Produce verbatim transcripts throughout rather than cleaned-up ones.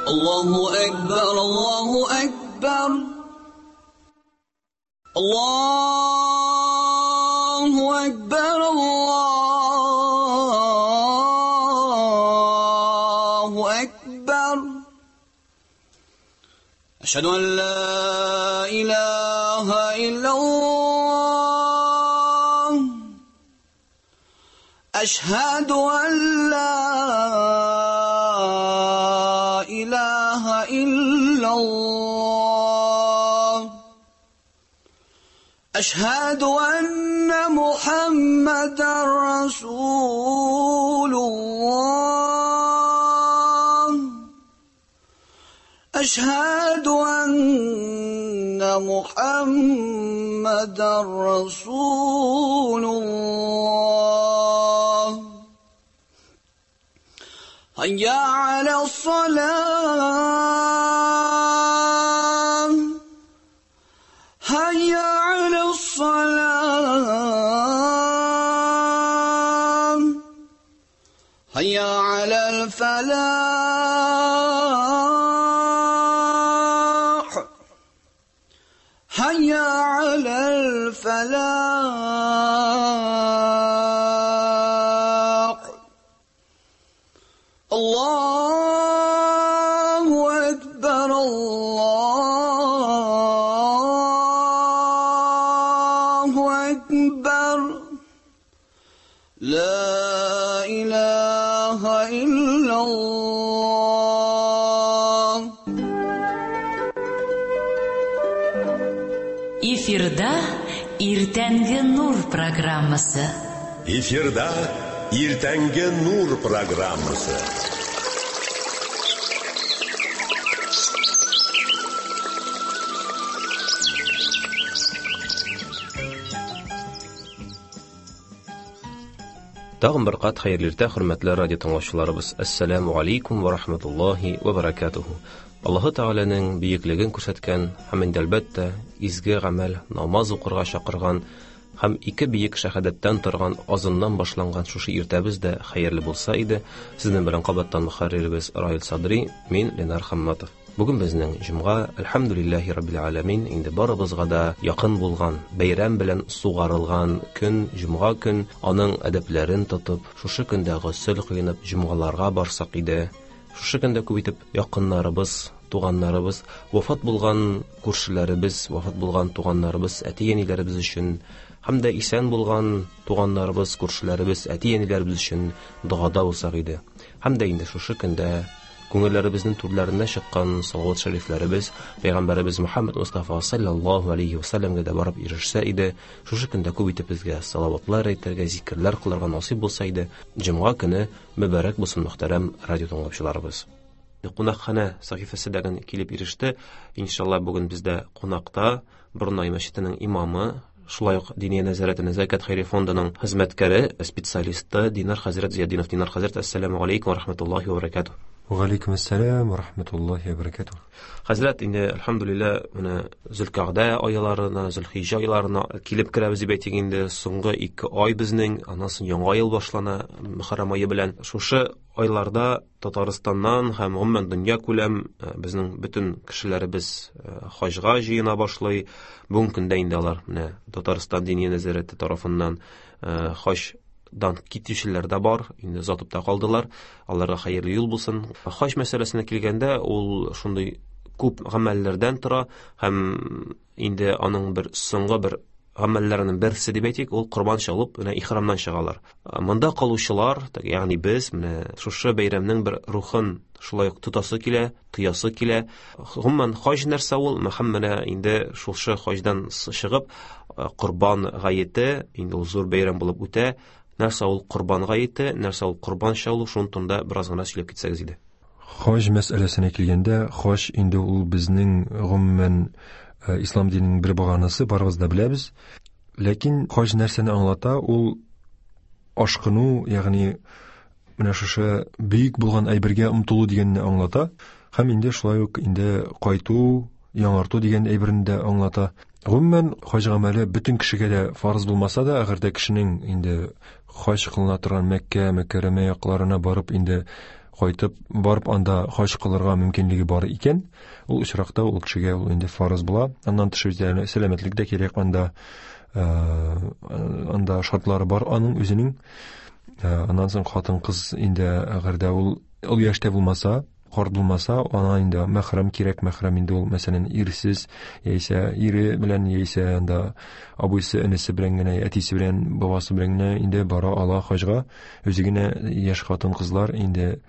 الله أكبر الله أكبر الله أكبر الله أكبر أشهد أن لا إله إلا الله أشهد أن لا إله إلا الله أشهد أن محمدا رسول الله أشهد أن محمدا رسول الله هيا على الصلاة هيا على الصلاة هيا على الفلاح هيا على الفلاح الله أكبر الله أكبر لا إله إلا الله. Эфирда Иртәнге Нур программасы. Эфирда Иртәнге Нур программасы. Тагын бер кат хәерле иртә, хөрмәтле радио тыңлаучыларыбыз. Ассаламу алейкум ва рахматуллахи ва баракатуху. Аллаһы Тәгаләнең бөеклеген күрсәткән һәм инде әлбәттә изге гамәл намаз укырга чакырган һәм ике бөек шәһадәттән торган азыннан башланган шушы иртәбез дә хәерле булса иде. Сезнең белән кабаттан мөхәрриребез Раил Садри, мин Ленар Хамматов. Бүген безнең җомга, әлхәмдүлилләһи раббил аламин, инде барыбызга да якын булган, бәйрәм белән сугарылган көн, җомга көн, аның әдәпләрен тотып, шушы көндә госел кыйнып җомгаларга барсак иде. Шушы көндә күп итеп якыннарыбыз, туганнарыбыз, вафат булган күршеләребез, вафат булган туганнарыбыз, әти-әниләребез өчен һәм дә исән булган туганнарыбыз, күршеләребез, әти-әниләребез өчен догада булсак иде. Һәм дә инде шушы көндә күңелләребезнең түрләренә чыккан салават шәрифләребез Пәйгамбәребез Мухаммад Мустафа саллаллаһу алейхи ва саллямга да барып ирешсә иде. Шушы көндә күп итеп безгә салаватлар әйтергә, зикерләр кылырга насыйп булса иде. Җомга көне мөбарәк булсын, мөхтәрәм радио тыңлаучыларыбыз. Кунакханә сәхифәсе дәген килеп иреште. Иншалла бүген бездә кунакта Борнай мәчетенең имамы, шулай ук Диния нәзарәте Нәзакәт хәйри фондының хезмәткәре, специалисты Динар хәзрәт Зиятдинов. Динар хәзрәт, ассаламу алейкум ва рахматуллахи ва баракатуһ. Ва алейкум ассалам ва рахматуллахи ва баракатуһ. Хәзрәт, инде әлхәмдүлилләһ, менә Зөлкагъдә айларына, Зөлхиҗҗә айларына килеп керәбез дип әйтик инде. Соңгы ике ай безнең, аннан соң яңа ел башлана Мөхәррәм ае белән. Шушы айларда Татарстаннан һәм гомумән дөнья күләм безнең бөтен кешеләребез хаҗга җыена башлый. Бүгенге көндә инде алар менә Татарстан Диния нәзарәте тарафыннан хаҗ дан китүчеләр дә бар, инде озатып та калдылар. Аларга хәерле юл булсын. Хаҗ мәсьәләсенә килгәндә, ул шундый күп гамәлләрдән тора һәм инде аның бер соңгы бер гамәлләренең берсе дип әйтик, ул корбан чалып, менә ихрамнан чыгалар. Монда калучылар, ягъни без менә шушы бәйрәмнең бер рухын шулай ук тотасы килә, тоясы килә. Гомумән хаҗ нәрсә ул? Һәм менә инде шушы хаҗдан чыгып, корбан гаете, инде ул зур бәйрәм булып үтә. Нәрсә ул корбан гаете, нәрсә ул корбан чалу, шуның турында бераз гына сөйләп китсәгез иде. Хаҗ мәсьәләсенә килгәндә, хаҗ инде ул безнең гомумән ислам диненең бер баганасы, барыбыз да беләбез. Ләкин хаҗ нәрсәне аңлата? Ул ашкыну, ягъни менә шушы бөек булган әйбергә омтылу дигәнне аңлата. Һәм инде шулай ук инде кайту, яңарту дигән әйберне дә аңлата. Гомумән хаҗ гамәле бөтен кешегә дә фарыз булмаса да, әгәр дә кешенең инде хаҗ кылына торган Мәккә, Мөкәррәмә якларына барып инде кайтып барып анда хаҗ кылырга мөмкинлеге бар икән, ул очракта ул кешегә ул инде фарыз була. Аннан тыш үзе сәламәтлек дә кирәк, анда анда шартлары бар аның үзенең. Аннан соң хатын-кыз инде әгәр дә ул ул яшьтә булмаса, карт булмаса, ана инде мәхрәм кирәк. Мәхрәм инде ул, мәсәлән, ирсез, яисә ире белән, яисә анда абыйсы, энесе белән генә, әтисе белән, бабасы белән генә инде бара ала хаҗга. Үзе генә яшь хатын-кызлар инде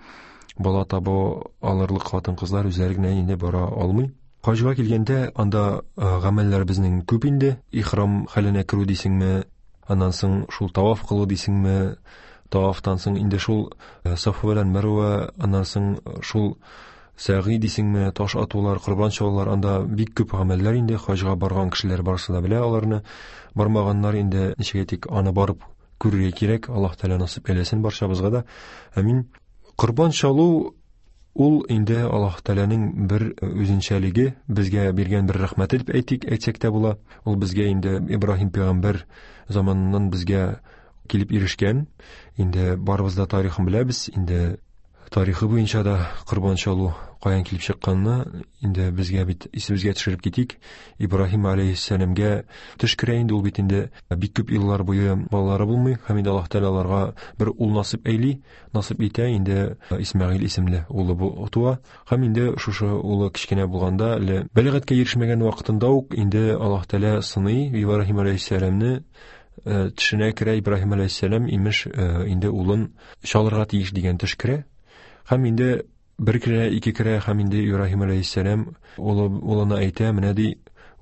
бала таба алырлык хатын-кызлар үзләре генә инде бара алмый. Хаҗга килгәндә анда гамәлләр безнең күп инде. Ихрам хәленә керү дисеңме, аннан соң шул таваф кылу дисеңме, тавафтан соң инде шул Сафа белән Мәрвә, аннан соң шул сәгый дисеңме, таш атулар, корбан чалулар, анда бик күп гамәлләр инде. Хаҗга барган кешеләр барысы да белә аларны. Бармаганнар инде ничек әйтик, аны барып күрергә кирәк. Аллаһ Тәгалә насыйп әйләсен барчабызга да. Амин. Корбан чалу ул инде Аллаһ Тәгаләнең бер үзенчәлеге, безгә биргән бер рәхмәте дип әйтик, әйтсәк тә була. Ул безгә инде Ибраһим пәйгамбәр заманыннан безгә килеп ирешкән. Инде барыбыз да тарихын беләбез. Инде тарихы буенча да корбан чалу каян килеп чыкканны инде безгә бит исебезгә төшереп китик. Ибраһим алейһиссәламгә төш керә инде, ул бит инде бик күп еллар буе балалары булмый, һәм инде Аллаһ Тәгалә аларга бер ул насыйп әйли, насыйп итә, инде Исмәгыйль исемле улы бу туа. Һәм инде шушы улы кечкенә булганда, әле бәлигатькә ирешмәгән вакытында ук инде Аллаһ Тәгалә сыный Ибраһим алейһиссәламне, төшенә керә. Ибраһим алейһиссәлам имеш инде улын чалырга тиеш дигән төш керә. Һәм инде бер керә, ике керә, һәм инде Ибраһим алейһиссәлам улы улына әйтә, менә ди,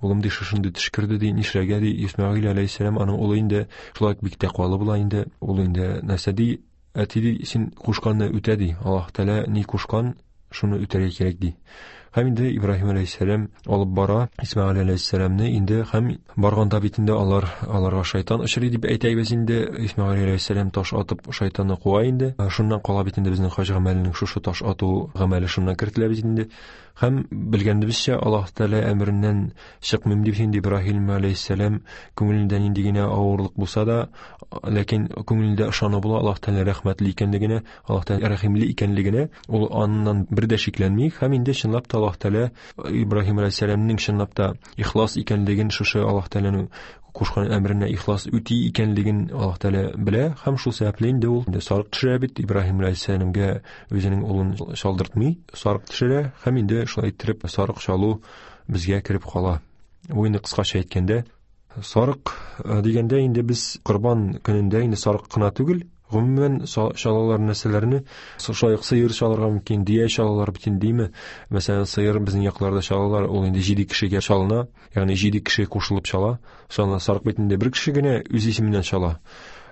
улым ди, шушындый төш керде ди, нишләргә ди. Исмәгыйль алейһиссәлам аның улы инде шулай бик тәкъвалы була инде, ул инде нәрсә ди, әти ди, син кушканны үтә ди, Аллаһ Тәгалә ни кушкан, шуны үтәргә кирәк ди. Һәм инде Ибраһим алейһиссәлам алып бара Исмәгыйль алейһиссәламны инде, һәм барганда бит инде алар аларга шайтан очрый дип әйтәбез инде. Исмәгыйль алейһиссәлам таш атып шайтанны куа инде. Шуннан кала бит инде безнең хаҗ гамәленең шушы таш ату гамәле шуннан кертелә бит инде. Һәм белгәнебезчә, Аллаһ Тәгалә әмереннән чыкмыйм дип инде Ибраһим алейһиссәлам күңелендә нинди генә авырлык булса да, ләкин күңелендә ышану була Аллаһ Тәгалә рәхмәтле икәнлегенә, Аллаһ Тәгалә рәхимле икәнлегенә, ул аннан бер дә шикләнми. Һәм инде чынлап та Аллаһ Тәгалә Ибраһим алейһиссәламнең чынлап та ихлас икәнлеген, шушы Аллаһ Тәгаләнең кушкан әмеренә ихлас үти икәнлеген Аллаһ Тәгалә белә, һәм шул сәбәпле инде ул инде сарык төшерә бит Ибраһим алейһиссәламгә, үзенең улын чалдыртмый, сарык төшерә, һәм инде шулай иттереп сарык чалу безгә кереп кала. Бу инде кыскача әйткәндә, сарык дигәндә инде без корбан көнендә инде сарык кына түгел, гомумән чалалар нәрсәләрне, шулай ук сыер чалырга мөмкин, дөя чалалар бит инде, дийме? Мәсәлән, сыер безнең якларда чалалар, ул инде җиде кешегә чалына, ягъни җиде кеше кушылып чала. Шуннан сарык бит инде бер кеше генә үз исеменнән чала.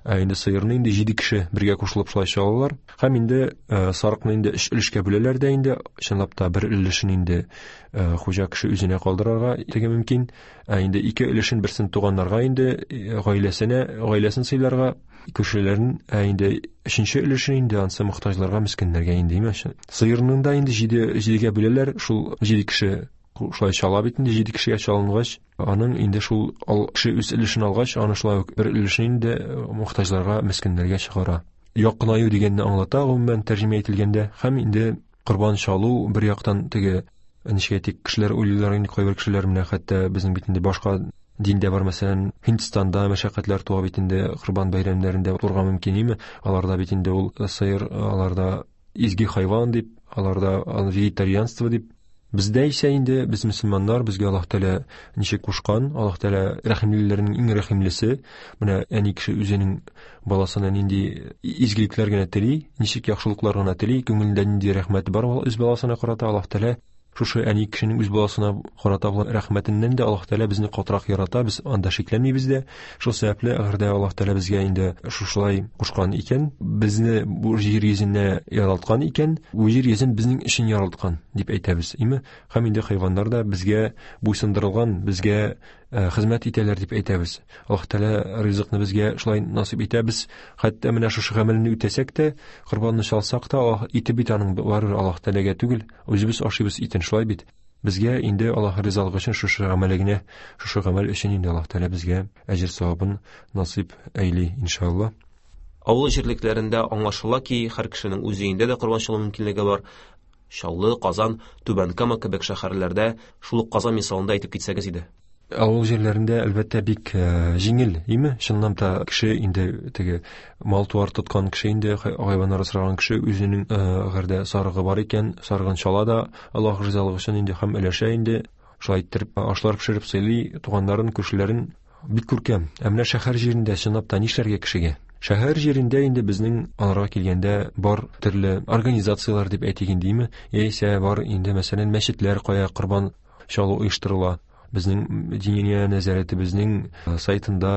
Ә инде сыерны инде җиде кеше бергә кушылып шулай чалалар. Һәм инде сарыкны инде өч өлешкә бүләләр дә инде, чынлап та бер өлешен инде хуҗа кеше үзенә калдырырга теге мөмкин. Ә инде ике өлешен берсен туганнарга инде, гаиләсенә, гаиләсен сыйларга, күршеләрен, ә инде өченче өлешен инде ансы мохтаҗларга, мескеннәргә инде, димә. Сыерның да инде җиде җидегә бүләләр, шул җиде кеше шулай чала бит инде, җиде кешегә чалынгач, аның инде шул ал, кеше үз өлешен алгач, аны шулай ук бер өлешен инде мохтаҗларга, мескеннәргә чыгара. Якынаю дигәнне аңлата гомумән тәрҗемә ителгәндә. Һәм инде корбан чалу бер яктан теге ничек әйтик, кешеләр уйлыйлар инде, кайбер кешеләр менә хәтта безнең бит инде башка диндә бар, мәсәлән, Һиндстанда мәшәкатьләр туа бит инде, корбан бәйрәмнәрендә турга мөмкин име? Аларда бит инде ул сыер, аларда изге хайван дип, аларда вегетарианство дип. Бездә исә инде без мөселманнар, безгә Аллаһ Тәгалә ничек кушкан, Аллаһ Тәгалә рәхимлеләрнең иң рәхимлесе. Менә әни кеше үзенең баласына нинди изгелекләр генә тели, ничек яхшылыклар гына тели, күңелендә нинди рәхмәте бар үз баласына карата, Аллаһ Тәгалә шушы әни кешенең үз баласына карата булган рәхмәтеннән дә Аллаһ Тәгалә безне катырак ярата, без анда шикләнмибез дә. Шул сәбәпле, әгәр дә Аллаһ Тәгалә безгә инде шушылай кушкан икән, безне бу җир йөзенә яралткан икән, бу җир йөзен безнең өчен яралткан дип әйтәбез, име? Һәм инде хайваннар да безгә буйсындырылган, безгә хезмәт итәләр дип әйтәбез. Аллаһ Тәгалә ризыкны безгә шулай насыйп итә. Без хәтта менә шушы гамәлне үтәсәк тә, корбанны чалсак та, Аллаһ ите бит аның барыбер Аллаһ Тәгаләгә түгел, үзебез ашыйбыз итен, шулай бит. Безгә инде Аллаһ ризалыгы өчен шушы гамәлгә, шушы гамәл өчен инде Аллаһ Тәгалә безгә әҗер савабын насыйп әйли, иншаллаһ. Авыл җирлекләрендә аңлашыла ки, һәр кешенең үз өендә дә корбан чалу мөмкинлеге бар. Чаллы, Казан, Түбән Кама кебек шәһәрләрдә, шул ук Казан мисалында әйтеп китсәгез иде. Авыл җирләрендә әлбәттә бик җиңел, име? Чыннан да кеше инде теге мал-туар тоткан кеше инде, хайваннар асраган кеше үзенең әгәр дә сарыгы бар икән, сарыгын чала да Аллаһ ризалыгы өчен инде һәм өләшә инде, шулай иттереп ашлар пешереп сыйлый туганнарын, күршеләрен. Бик күркәм. Ә менә шәһәр җирендә чынлап та нишләргә кешегә? Шәһәр җирендә инде безнең аларга килгәндә бар төрле организацияләр дип әйтик инде, име? Яисә бар инде, мәсәлән, мәчетләр, кая корбан чалу оештырыла. Безнең Диния нәзарәтебезнең сайтында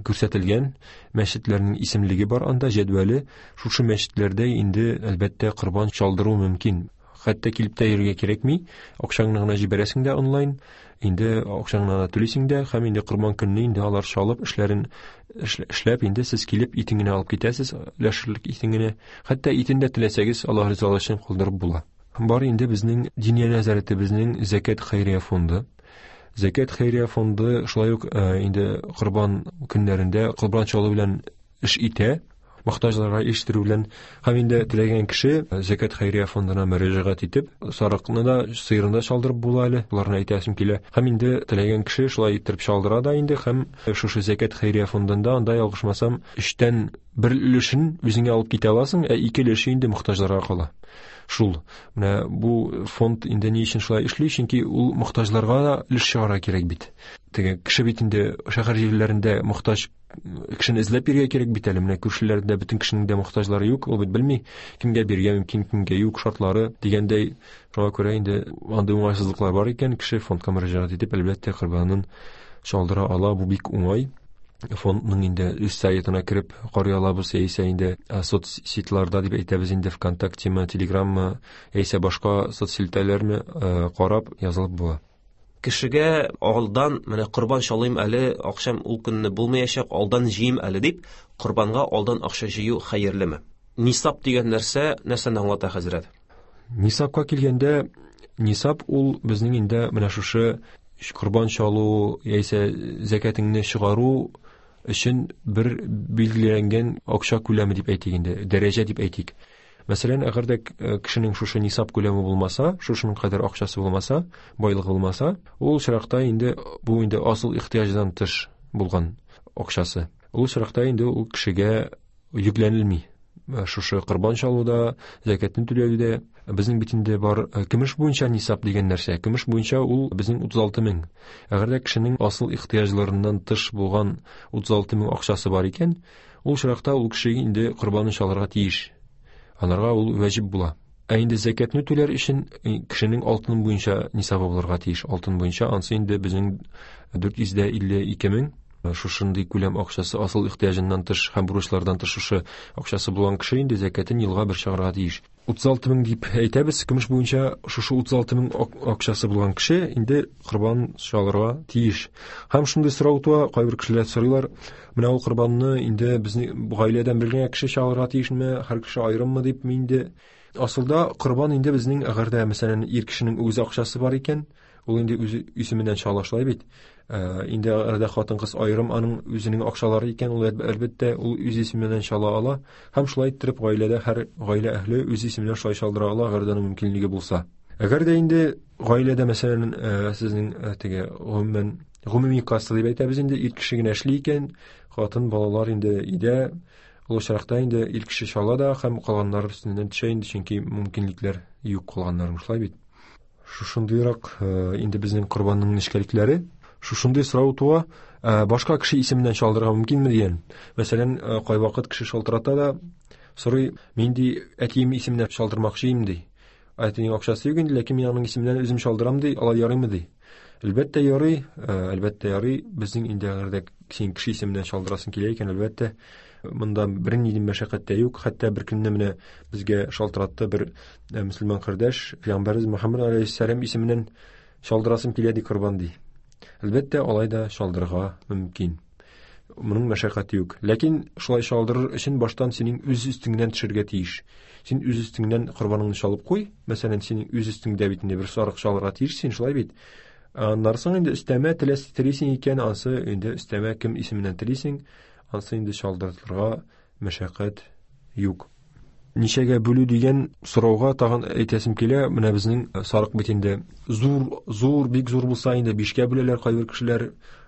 күрсәтелгән мәчетләрнең исемлеге бар, анда җәдвәле. Шушы мәчетләрдә инде әлбәттә корбан чалдыру мөмкин. Хәтта килеп тә йөрергә кирәкми, акчаңны гына җибәрәсең дә онлайн, инде акчаңны гына түлисең дә, һәм инде корбан көнне инде алар чалып эшләрен эшләп, инде сез килеп итен генә алып китәсез, өләшерлек итен генә. Хәтта итен дә теләсәгез, Аллаһ ризалыгы өчен калдырып була. Бар инде безнең Диния нәзарәтебезнең Зәкят хәйрия фонды. Зәкят хәйрия фонды шулай ук инде корбан көннәрендә корбан чалу белән эш итә, мохтаҗларга ирештерү белән. Һәм инде теләгән кеше Зәкят хәйрия фондына мөрәҗәгать итеп, сарыкны да, сыерны да чалдырып була әле, боларны әйтәсем килә. Һәм инде теләгән кеше шулай иттереп чалдыра да инде, һәм шушы Зәкят хәйрия фондында анда ялгышмасам, өчтән бер өлешен үзеңә алып китә аласың, ә ике өлеше инде мохтаҗларга кала. Шул. Менә бу фонд инде ни өчен шулай эшли? Чөнки ул мохтаҗларга да өлеш чыгарга кирәк бит. Теге кеше бит инде шәһәр җирләрендә мохтаҗ кешене эзләп бирергә кирәк бит әле. Менә күршеләрдә бөтен кешенең дә мохтаҗлары юк, ул бит белми кемгә бирергә мөмкин, кемгә юк, шартлары дигәндәй. Шуңа күрә инде андый уңайсызлыклар бар икән, кеше фондка мөрәҗәгать итеп, әлбәттә, корбанын чалдыра ала. Бу бик уңай. Фондның инде үз сайтына кереп карый алабыз, яисә инде соцсетьларда дип әйтәбез инде, ВКонтактеме, Телеграммы, яисә башка соцселтәрләрме карап язылып була. Кешегә алдан менә корбан чалыйм әле, акчам ул көнне булмаячак, алдан җыйм әле дип, корбанга алдан акча җыю хәерлеме? Нисап дигән нәрсә нәрсәне аңлата, хәзрәт? Нисапка килгәндә, нисап ул безнең инде менә шушы корбан чалу яисә зәкәтеңне чыгару өчен бер билгеләнгән акча күләме дип әйтик инде, дәрәҗә дип әйтик. Мәсәлән, әгәр дә кешенең шушы нисап күләме булмаса, шушының кадәр акчасы булмаса, байлыгы булмаса, ул очракта инде бу инде асыл ихтыяҗдан тыш булган акчасы. Ул очракта инде ул кешегә йөкләнелми. Шушы корбан чалуда, зәкәтне түләүдә безнең бит инде бар көмеш буенча нисап дигән нәрсә. Көмеш буенча ул безнең утыз алты мең. Әгәр дә кешенең асыл ихтыяҗларыннан тыш булган утыз алты мең акчасы бар икән, ул очракта ул кеше инде корбанын чалырга тиеш. Анарга ул вәҗиб була. Ә инде зәкәтне түләр өчен кешенең алтын буенча нисабы булырга тиеш. Алтын буенча ансы инде безнең дүрт йөз дә илле ике мең. Шушындый күләм акчасы асыл ихтыяҗыннан тыш һәм бурычлардан тыш шушы акчасы булган кеше инде зәкәтен елга бер чыгарга тиеш. Утыз алты мең дип әйтәбез, көмеш буенча шушы утыз алты мең акчасы булган кеше инде корбан чалырга тиеш. Һәм шундый сорау туа, кайбер кешеләр сорыйлар, менә ул корбанны инде безнең гаиләдән бер генә кеше чалырга тиешме, һәр кеше аерыммы дип инде. Асылда корбан инде безнең әгәр дә мәсәлән ир кешенең үз акчасы бар икән, ул инде үзе исеменнән чала шулай бит. Инде әгәр хатын-кыз аерым аның үзенең акчалары икән, ул әлбәттә ул үз исеменнән чала ала. Һәм шулай иттереп гаиләдә һәр гаилә әһле үз исеменнән шулай чалдыра ала, әгәр дә аның мөмкинлеге булса. Әгәр дә инде гаиләдә мәсәлән сезнең теге гомумән гомуми касса дип әйтәбез инде, ир кеше генә эшли икән, хатын балалар инде өйдә, ул очракта инде ир кеше чала да һәм калганнар өстеннән төшә инде, чөнки мөмкинлекләр юк калганнарның, шулай бит. Шушындыйрак инде безнең корбанның нечкәлекләре. Шушындый сорау туа, башка кеше исеменнән чалдырырга мөмкинме дигән. Мәсәлән, кайвакыт кеше шалтырата да сорый, мин ди әтием исеменнән чалдырмакчы идем ди. Әтинең акчасы юк инде, ләкин мин аның исеменнән үзем чалдырам ди, алай ярыймы ди. Әлбәттә ярый, әлбәттә ярый. Безнең инде әгәр дә син кеше исеменнән чалдырасың килә икән, әлбәттә, монда бернинди мәшәкать тә юк. Хәтта бер көнне менә безгә шалтыратты бер мөселман кардәш, Пәйгамбәребез Мөхәммәд алейһиссәлам исеменнән чалдырасым килә ди корбан ди. Әлбәттә, алай да чалдырырга мөмкин. Моның мәшәкате юк. Ләкин шулай чалдырыр өчен баштан синең үз өстеңнән төшергә тиеш. Син үз өстеңнән корбаныңны чалып куй. Мәсәлән, синең үз өстеңдә бит инде бер сарык чалырга тиеш, син шулай бит. Аннан соң инде өстәмә теләсә телисең икән, ансы инде өстәмә кем исеменнән телисең, ансы инде чалдырырга мәшәкать юк. Ничәгә бүлү дигән сорауга тагын әйтәсем килә. Менә безнең сарык бит инде зур, зур, бик зур булса инде бишкә бүләләр кайбер кешеләр.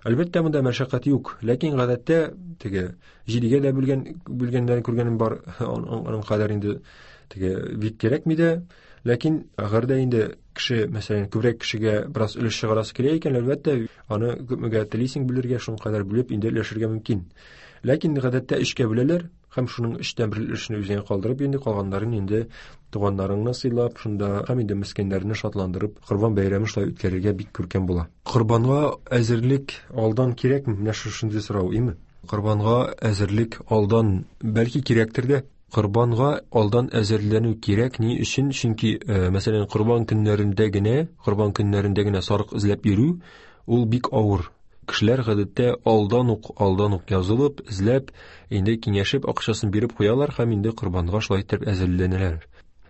Әлбәттә, монда мәшәкать юк. Ләкин гадәттә теге җидегә дә бүлгән, бүлгәннәрен күргәнем бар. Аның кадәр инде теге бик кирәкми дә. Ләкин әгәр дә инде кеше, мәсәлән, күбрәк кешегә бераз өлеш чыгарасы килә икән, әлбәттә, аны күпмегә телисең бүлергә, шуның кадәр бүлеп инде өләшергә мөмкин. Ләкин гадәттә өчкә бүләләр һәм шуның өчтән бер өлешен үзеңә калдырып, инде калганнарын инде туганнарыңны сыйлап, шунда һәм инде мескеннәрне шатландырып, Корбан бәйрәме шулай үткәрергә бик күркәм була. Корбанга әзерлек алдан кирәкме? Менә шушындый сорау, име? Корбанга әзерлек алдан бәлки кирәктер дә. Корбанга алдан әзерләнү кирәк. Ни өчен? Чөнки, мәсәлән, корбан көннәрендә генә, корбан көннәрендә генә сарык эзләп йөрү ул бик авыр. Кешеләр гадәттә алдан ук, алдан ук язылып, эзләп, инде киңәшеп, акчасын биреп куялар һәм инде корбанга шулай итеп әзерләнәләр.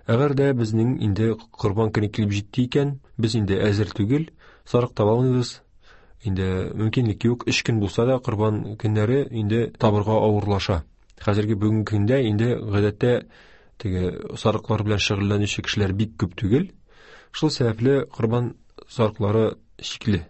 Әгәр дә безнең инде корбан көне килеп җитте икән, без инде әзер түгел, сарык таба алмыйбыз. Инде мөмкинлек юк, өч көн булса да корбан көннәре инде табырга авырлаша. Хәзерге бүгенге көндә инде гадәттә теге сарыклар белән шөгыльләнүче кешеләр бик күп түгел. Шул сәбәпле корбан сарыклары шикле.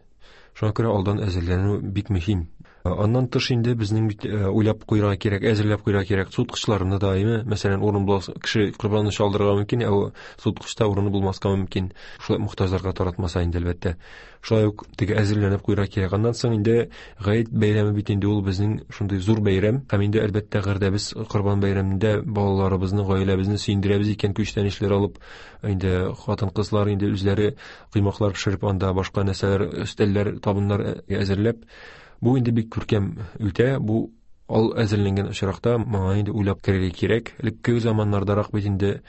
Шуңа күрә алдан әзерләнү бик мөһим. Аннан тыш инде безнең бит уйлап куйырга кирәк, әзерләп куйырга кирәк суыткычларны да, әйме? Мәсәлән, урын булса, кеше корбанны чалдырырга мөмкин, ә суыткычта урыны булмаска мөмкин. Шулай мохтаҗларга таратмаса инде, әлбәттә. Шулай ук теге әзерләнеп куйырга кирәк. Аннан соң инде Гает бәйрәме бит инде ул безнең шундый зур бәйрәм. Һәм инде әлбәттә, әгәр дә без корбан бәйрәмендә балаларыбызны, гаиләбезне сөендерәбез икән, күчтәнәчләр алып, инде хатын-кызлар инде үзләре коймаклар пешереп, анда башка нәрсәләр, өстәлләр, табыннар әзерләп, бу инде бик күркәм үтә. Бу ал әзерләнгән очракта моңа инде уйлап керергә кирәк. Элекке заманнардарак бит инде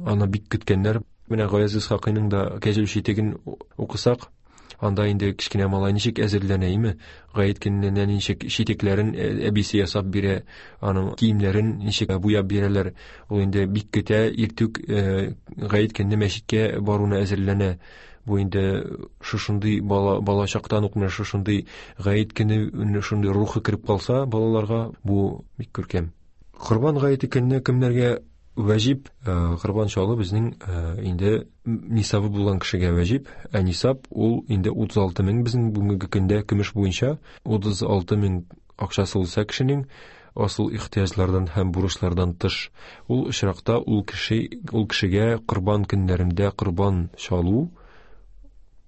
аны бик көткәннәр. Менә Гаяз Исхакыйның да Кәҗүл читеген укысак, анда инде кечкенә малай ничек әзерләнә, име? Гает көненә ничек читекләрен әбисе ясап бирә, аның киемнәрен ничек буяп бирәләр. Ул инде бик көтә, иртүк гает көнне мәчеткә баруына әзерләнә. Бу инде шушындый бала, бала чактан ук менә шушындый гает көне шундый рухы кереп калса балаларга, бу бик күркәм. Корбан гаете көнне кемнәргә вәҗиб? Корбан чалу безнең инде нисабы булган кешегә вәҗиб. Ә нисаб ул инде утыз алты мең безнең бүгенге көндә көмеш буенча утыз алты мең акчасы булса кешенең, асыл ихтыяҗлардан һәм бурычлардан тыш, ул очракта ул кеше, ул кешегә корбан көннәрендә корбан чалу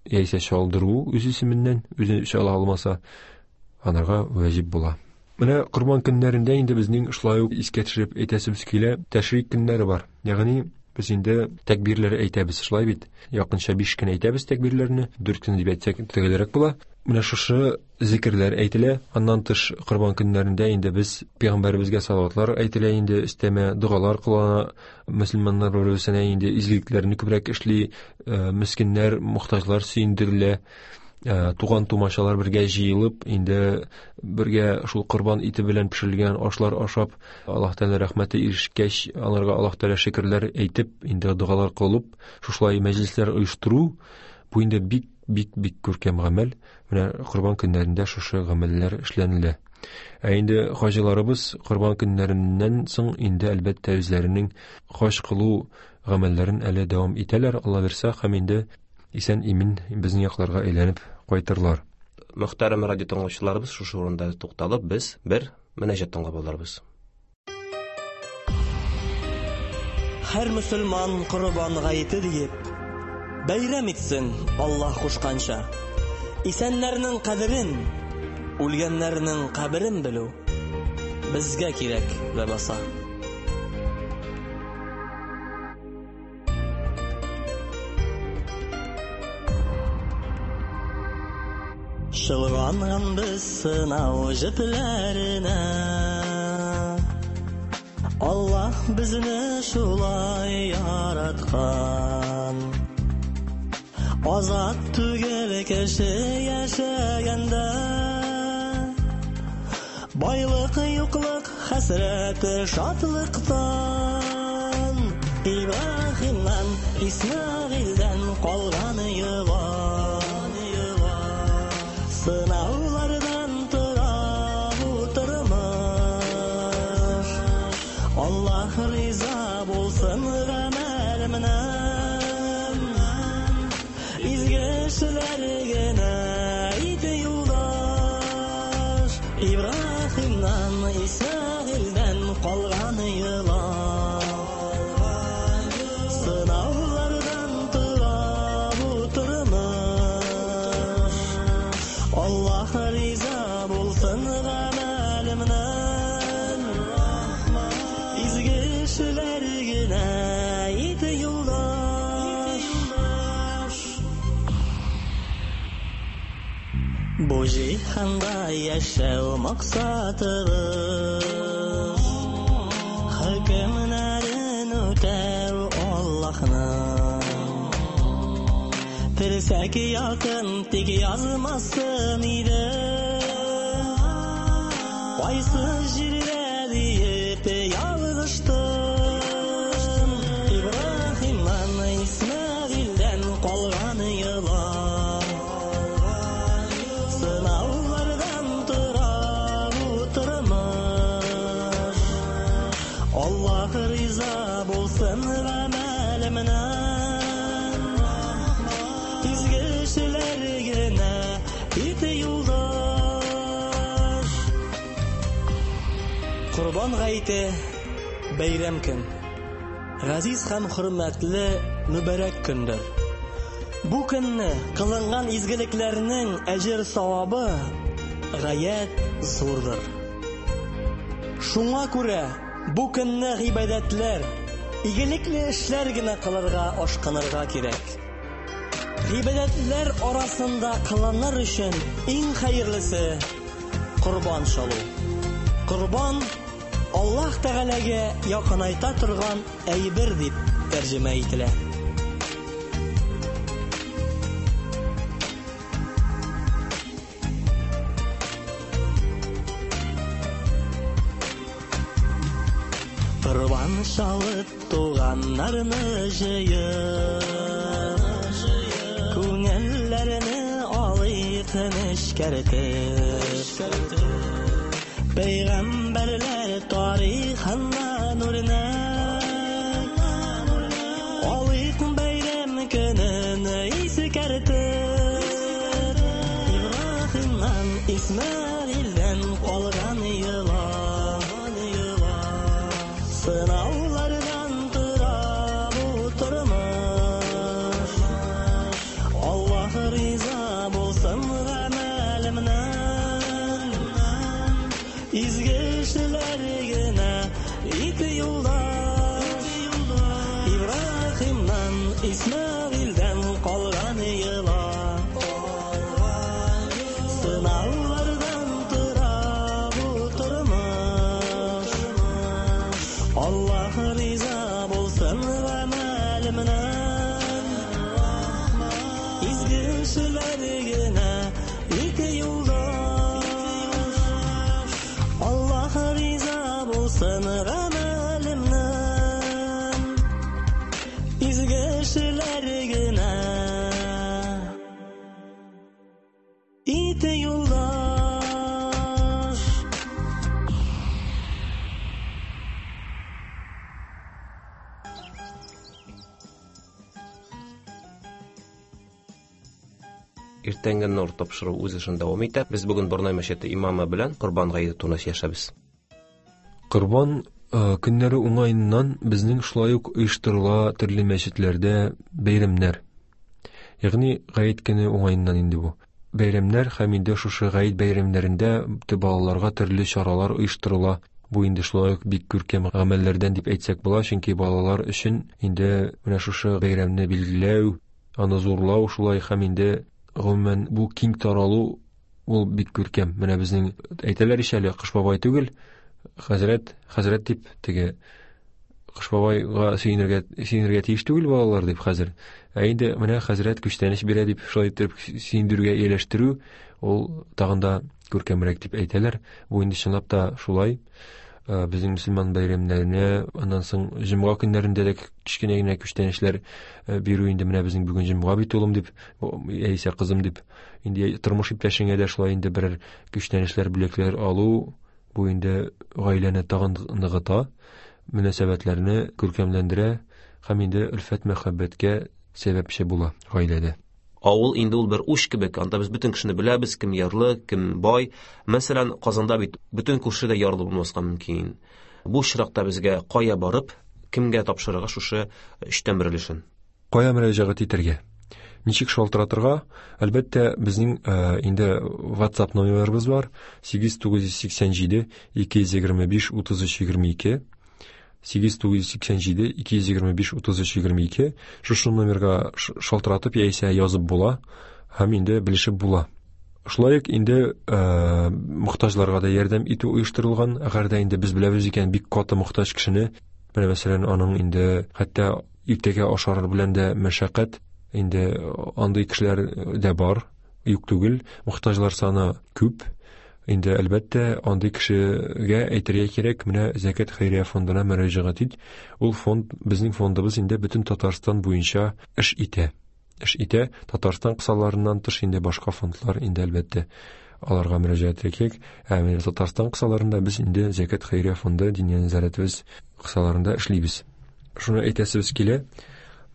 яисә чалдыру үз исеменнән, үзе чала алмаса, анарга вәҗиб була. Менә корбан көннәрендә инде безнең шулай ук искә төшереп әйтәсебез килә, тәшрик көннәре бар. Ягъни без инде тәкбирләр әйтәбез, шулай бит. Якынча биш көн әйтәбез тәкбирләрне, дүрт көн дип әйтсәк төгәлрәк була. Менә шушы зикерләр әйтелә. Аннан тыш корбан көннәрендә инде без пәйгамбәребезгә салаватлар әйтелә, инде өстәмә догалар кылына, мөселманнар бер-берсенә инде изгелекләрне күбрәк эшли, мескеннәр, мохтаҗлар сөендерелә, туган тумачалар бергә җыелып, инде бергә шул корбан ите белән пешерелгән ашлар ашап, Аллаһ Тәгалә рәхмәте ирешкәч, аларга Аллаһ Тәгалә шөкерләр әйтеп, инде догалар кылып, шушылай мәҗлесләр оештыру, бу инде бик бик бик күркәм гамәл. Менә корбан көннәрендә шушы гамәлләр эшләнелә. Ә инде хаҗиларыбыз корбан көннәреннән соң инде әлбәттә үзләренең хаҗ кылу гамәлләрен әле дәвам итәләр, Алла бирсә, һәм инде исән имин безнең якларга әйләнеп кайтырлар. Мөхтәрәм радио тыңлаучыларыбыз, шушы урында тукталып, без бер мөнәҗәт тыңлап алырбыз. Һәр мөселман корбан гаете диеп бәйрәм итсен Аллаһ кушканча. Исәннәрнең кадерен, үлгәннәрнең каберен белү безгә кирәк ләбаса. Чылганган без сынау җепләренә, Аллаһ безне шулай яраткан. Азат түгел кеше яшәгәндә, байлык юклык хәсрәте шатлыктан. Ибраһимнан, Исмәгыйльдән калган йола, сынаулардан тора бу тормыш. эшләр генә ите юлдаш. Ибраһимнан, Исмәгыйльдән калган йола. Сынаулардан тора бу тормыш. Аллаһ риза булсын гамәлемнән. Изге эшләр генә ите юлдаш. Бу җиһанда яшәү максатыбыз, хөкемнәрен үтәү Аллаһның. Терсәк якын тик язмасын иде, кайсы җирдә диеп ялгыштым. Ибраһимнан, Исмәгыйльдән калган йола. Сынаулардан тора бу тормыш. Аллаһ риза булсын гамәлемнән. Изге эшләр генә ите юлдаш. Корбан гаете бәйрәм көн. Газиз һәм хөрмәтле мөбарәк көндер. Бу көнне кылынган изгелекләрнең әҗер савабы гаять зурдыр. Шуңа күрә бу көнне гыйбадәтләр, игелекле эшләр генә кылырга ашкынырга кирәк. Гыйбадәтләр арасында кылыныр өчен иң хәерлесе корбан чалу. Корбан Аллаһ Тәгаләгә якынайта торган әйбер дип тәрҗемә ителә. Корбан чалып туганнарны җыеп, күңелләрне алыйк нечкәртеп. Пәйгамбәрләр тарихыннан үрнәк алыйк бәйрәм көнен искәртеп. Ибраһимнан, Исмәгыйльдән калган йола. Сынаулардан тора бу тормыш. Аллаһ риза булсын гамәлемнән. Изге эшләр генә ите юлдаш. Ибраһимнан, Исмәгыйльдән калган йола. Сынаулардан тора бу тормыш. Аллаһ риза булсын гамәлемнән. Изге эшләр генә ите юлдаш. Аллаһ риза булсын гамәлемнән. Изге эшләр генә ите юлдаш. Иртәнге нур тапшыру үз эшен дәвам итә. Без бүген Борнай мәчете имамы белән Корбан гаете турында сөйләшәбез. Корбан э, көннәре уңаеннан безнең шулай ук оештырыла төрле мәчетләрдә бәйрәмнәр. Ягъни гает көне уңаеннан инде бу. Бәйрәмнәр һәм инде шушы гает бәйрәмнәрендә балаларга төрле чаралар оештырыла. Бу инде шулай ук бик күркәм гамәлләрдән дип әйтсәк була, чөнки балалар өчен инде менә шушы бәйрәмне билгеләү, аны зурлау шулай һәм инде гомумән бу киң таралу ул бик күркәм. Менә безнең әйтәләр ич әле, Кыш бабай түгел, хәзрәт, хәзрәт дип теге Кыш бабайга сөенергә, сөенергә тиеш түгел балалар дип хәзер. Ә инде менә хәзрәт күчтәнәч бирә дип шулай итеп сөендерүгә ияләштерү ул тагын да күркәмрәк дип әйтәләр. Бу инде чынлап та шулай. Э, Безнең мөселман бәйрәмнәренә, аннан соң җомга көннәрендә дә кечкенә генә күчтәнәчләр э, бирү инде менә безнең бүген җомга бит улым дип, яисә кызым дип, инде тормыш иптәшеңә дә шулай инде берәр күчтәнәчләр, бүләкләр алу, бу инде гаиләне тагын ныгыта, мөнәсәбәтләрне күркәмләндерә һәм инде өлфәт мәхәббәткә сәбәпче була гаиләдә. Авыл инде ул бер уч кебек, анда без бөтен кешене беләбез, кем ярлы, кем бай. Мәсәлән, Казанда бит бөтен күрше дә ярлы булмаска мөмкин. Бу очракта безгә кая барып, кемгә тапшырырга шушы өчтән бер өлешен? Кая мөрәҗәгать итәргә? Ничек шалтыратырга? Әлбәттә, безнең инде WhatsApp номерыбыз бар: сигез тугыз йөз сиксән җиде ике йөз егерме биш утыз өч егерме ике. сигез тугыз йөз сиксән җиде ике йөз егерме биш утыз өч егерме ике. Шушы номерга шалтыратып яисә язып була һәм инде белешеп була. Шулай ук инде мохтаҗларга да ярдәм итү оештырылган. Әгәр дә инде без беләбез икән бик каты мохтаҗ кешене, менә мәсәлән, аның инде хәтта иртәгә ашар белән дә мәшәкать, инде андый кешеләр дә бар, юк түгел, мохтаҗлар саны күп. Инде әлбәттә андый кешегә әйтергә кирәк, менә Зәкят хәйрия фондына мөрәҗәгать ит. Ул фонд, безнең фондыбыз инде бөтен Татарстан буенча эш итә. Эш итә. Татарстан кысаларыннан тыш инде башка фондлар инде әлбәттә аларга мөрәҗәгать итәргә кирәк. Ә менә Татарстан кысаларында без инде Зәкят хәйрия фонды Диния нәзарәтебез кысаларында эшлибез. Шуны әйтәсебез килә.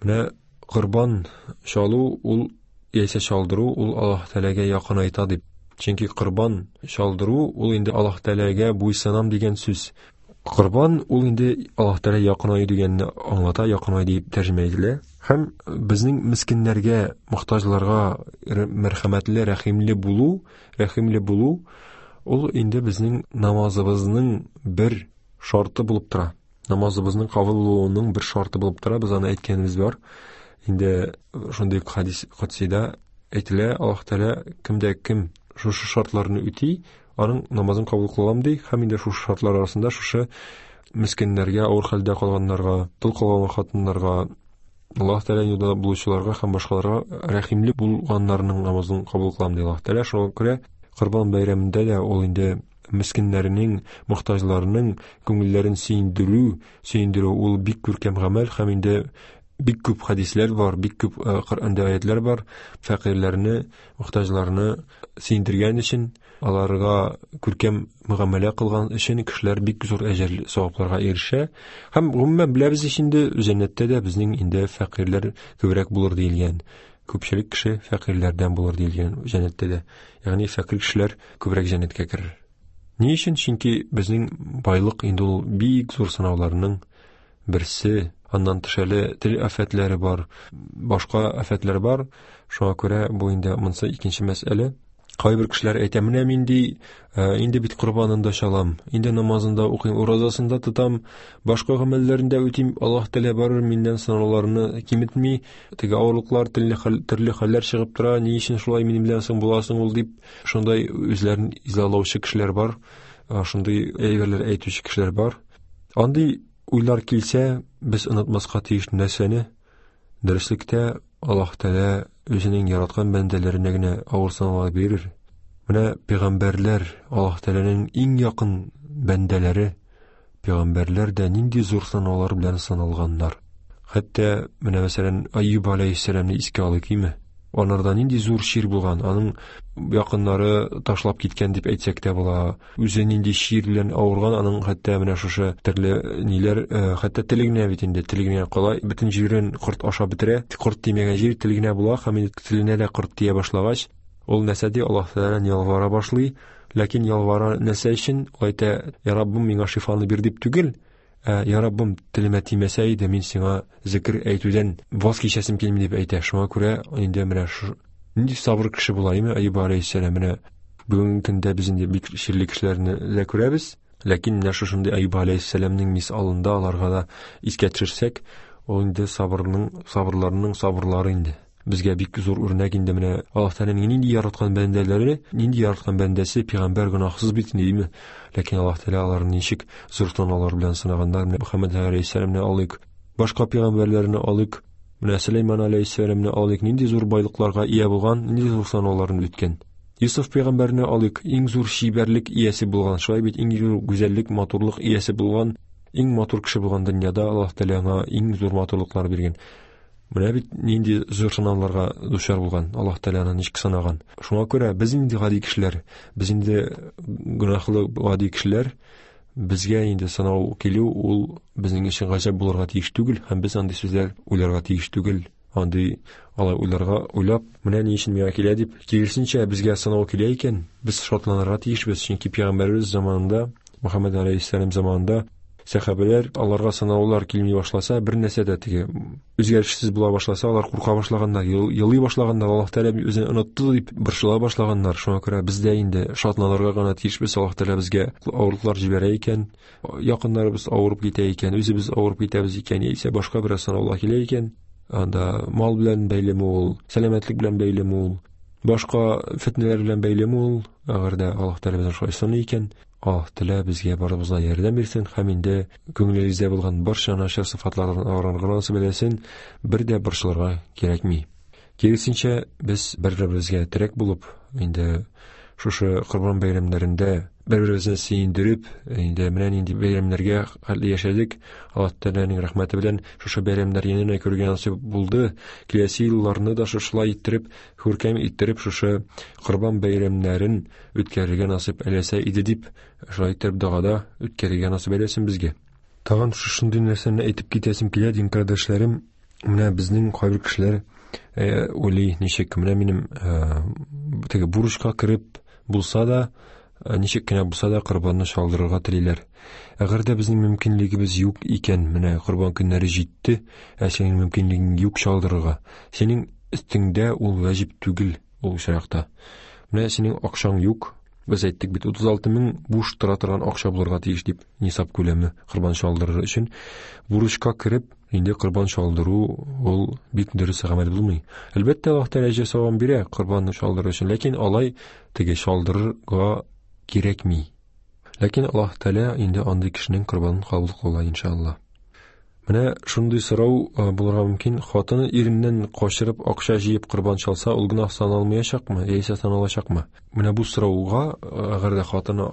Менә корбан чалу ул яисә чалдыру ул Аллаһ Тәгаләгә якынайта дип. Чөнки корбан чалдыру ул инде Аллаһ Тәгаләгә буйсынам дигән сүз. Корбан ул инде Аллаһ Тәгалә якынаю дигәнне аңлата, якынаю дип тәрҗемә ителә. Һәм безнең мискиннәргә, мохтаҗларга мәрхәмәтле, рәхимле булу, рәхимле булу ул инде безнең намазыбызның бер шарты булып тора. Намазыбызның кабул булуының бер шарты булып тора. Без аны әйткәнебез бар. Инде шундый хадис кодсида әйтелә, Аллаһ Тәгалә кемдә кем шушы шартларны үти, аның намазын кабул кылам ди. Һәм инде шушы шартлар арасында шушы мискиннәргә, авыр хәлдә калганнарга, тол калган хатыннарга, Аллаһ Тәгалә юлда булучыларга һәм башкаларга рәхимле булганнарның намазын кабул кылам ди Аллаһ Тәгалә. Шуңа күрә Корбан бәйрәмендә дә ул инде мискиннәрнең, мохтаҗларның күңелләрен сөендерү, сөендерү ул бик күркәм гамәл. Һәм инде бик күп хадисләр бар, бик күп Коръәндә аятлар бар. Фәкыйрьләрне, мохтаҗларны сөендергән өчен, аларга күркәм мөгамәлә кылган өчен кешеләр бик зур әҗер савапларга ирешә. Һәм гомумән беләбез инде, җәннәттә дә безнең инде фәкыйрьләр күбрәк булыр диелгән. Күпчелек кеше фәкыйрьләрдән булыр диелгән җәннәттә дә. Ягъни фәкыйрь кешеләр күбрәк җәннәткә керер. Ни өчен? Чөнки безнең байлык инде ул бик зур сынауларның берсе. Аннан тыш әле тел афәтләре бар, башка афәтләр бар. Шуңа күрә бу инде монысы икенче мәсьәлә. Кайбер кешеләр әйтә, менә мин ди, инде бит корбанын да чалам, инде намазын да укыйм, уразасын да тотам, башка гамәлләрен дә үтим, Аллаһ Тәгалә барыбер миннән сынауларны киметми, теге авырлыклар, төрле хәлләр чыгып тора, ни өчен шулай минем белән соң буласың ул дип, шундай үзләрен изалаучы кешеләр бар, шундый әйберләр әйтүче кешеләр бар. Андый уйлар килсә, без онытмаска тиеш нәрсәне? Дөреслектә Аллаһ Тәгалә үзенең яраткан бәндәләренә генә авыр сынаулар бирер. Менә пәйгамбәрләр, Аллаһ Тәгаләнең иң якын бәндәләре, пәйгамбәрләр дә нинди зур сынаулар белән сыналганнар. Хәтта менә мәсәлән Айюб алейһиссәламны искә алыйк, име? Анарда нинди зур чир булган, аның якыннары ташлап киткән дип әйтсәк тә була. Үзе нинди чир белән авырган, аның хәтта менә шушы төрле ниләр, хәтта теле генә бит инде, теле генә кала, бөтен җирен корт ашап бетерә. Корт тимәгән җир теле генә була, һәм инде теленә дә корт тия башлагач, ул нәрсә ди, Аллаһ Тәгаләдән ялвара башлый. Ләкин ялвара нәрсә өчен? Ул әйтә, Я Раббым, миңа шифаны бир дип түгел, ә, Я Раббым, телемә тимәсә иде, мин сиңа зикр әйтүдән ваз кичәсем килми дип әйтә. Шуңа күрә инде менә шу нинди сабыр кеше була, име Айюб алейһиссәлам. Менә бүгенге көндә без инде бик чирле кешеләрне дә күрәбез, ләкин менә шушындый Айюб алейһиссәламнең мисалында аларга да искә төшерсәк, ул инде сабырның, сабырларының сабырлары инде. Безгә бик зур үрнәк инде менә Аллаһ Тәгаләнең нинди яраткан бәндәләре, нинди яраткан бәндәсе, пәйгамбәр гөнаһсыз бит инде, име? Ләкин Аллаһ Тәгалә аларны ничек зур сынаулар белән сынаганнар. Менә Мөхәммәд алейһиссәламны алыйк, башка пәйгамбәрләрне алыйк, менә Сөләйман алейһиссәламны алыйк, нинди зур байлыкларга ия булган, нинди зур сынауларны үткән. Юсуф пәйгамбәрне алыйк, иң зур чибәрлек иясе булган, шулай бит иң зур гүзәллек, матурлык иясе булган, иң матур кеше булган дөньяда Аллаһ Тәгалә аңа иң зур матурлыклар биргән. Менә бит нинди зур сынауларга дучар булган, Аллаһ Тәгалә аны ничек сынаган. Шуңа күрә без инде гади кешеләр, без инде гөнаһлы гади кешеләр, безгә инде сынау килү ул безнең өчен гаҗәп булырга тиеш түгел, һәм без андый сүзләр уйларга тиеш түгел. Андый алай уйларга уйлап, менә ни өчен миңа килә дип, киресенчә безгә сынау килә икән, без шатланырга тиешбез, чөнки пәйгамбәребез заманында, Мөхәммәд алейһиссәлам заманында сәхабәләр аларга сынаулар килми башласа, бер нәрсә дә теге үзгәрешсез була башласа, алар курка башлаганнар, елый башлаганнар, Аллаһ Тәгалә үзен онытты дип борчыла башлаганнар. Шуңа күрә без дә инде шатланырга гына тиешбез. Аллаһ Тәгалә безгә авырлыклар җибәрә икән, якыннарыбыз авырып китә икән, үзебез авырып китәбез икән, яисә башка бер сынаулар килә икән, анда мал белән бәйлеме ул, сәламәтлек белән бәйлеме ул, башка фитнәләр белән бәйлеме ул, әгәр дә Аллаһ Тәгалә безне шулай сыный икән, Аллаһ Тәгалә безгә барыбызга ярдәм бирсен һәм инде күңелебездә булган барча начар сыйфатлардан арынырга насыйп әйләсен, бер дә борчылырга кирәкми. Киресенчә, без бер-беребезгә терәк булып, инде шушы Корбан бәйрәмнәрендә бер-беребезне сөендереп, инде менә нинди бәйрәмнәргә хәтле яшәдек, Аллаһ Тәгаләнең рәхмәте белән шушы бәйрәмнәр янына күргән насыйп булды. Киләсе елларны да шушылай иттереп, күркәм иттереп шушы Корбан бәйрәмнәрен үткәрергә насыйп әйләсә иде дип, шулай иттереп догада үткәрергә насыйп әйләсен безгә. Тагын шушындый нәрсәне әйтеп китәсем килә, дин кардәшләрем, менә безнең кайбер кешеләр, э, уйлый, ничек менә минем, э, теге бурычка кереп булса да, ничек кенә булса да корбанны чалдырырга телиләр. Әгәр дә безнең мөмкинлегебез юк икән, менә корбан көннәре җитте, ә синең мөмкинлегең юк чалдырырга, синең өстеңдә ул ваҗиб түгел ул очракта. Менә синең акчаң юк, без әйттек бит, утыз алты мең буш тора торган акча булырга тиеш дип, нисаб күләме корбан чалдырыр өчен. Бурычка кереп, инде корбан чалдыру ул бик дөрес гамәл булмый. Әлбәттә, Аллаһ Тәгалә әҗер савабын бирә корбанны чалдыру өчен, ләкин алай теге чалдырырга кирәкми. Ләкин Аллаһ Тәгалә инде андый кешенең корбанын кабул кыла, иншалла. Менә шундый сорау, э, булырга мөмкин: хатыны иреннән качырып акча җыеп корбан чалса, ул гөнаһ саналмаячакмы, яисә саналачакмы? Менә бу сорауга, әгәр дә хатыны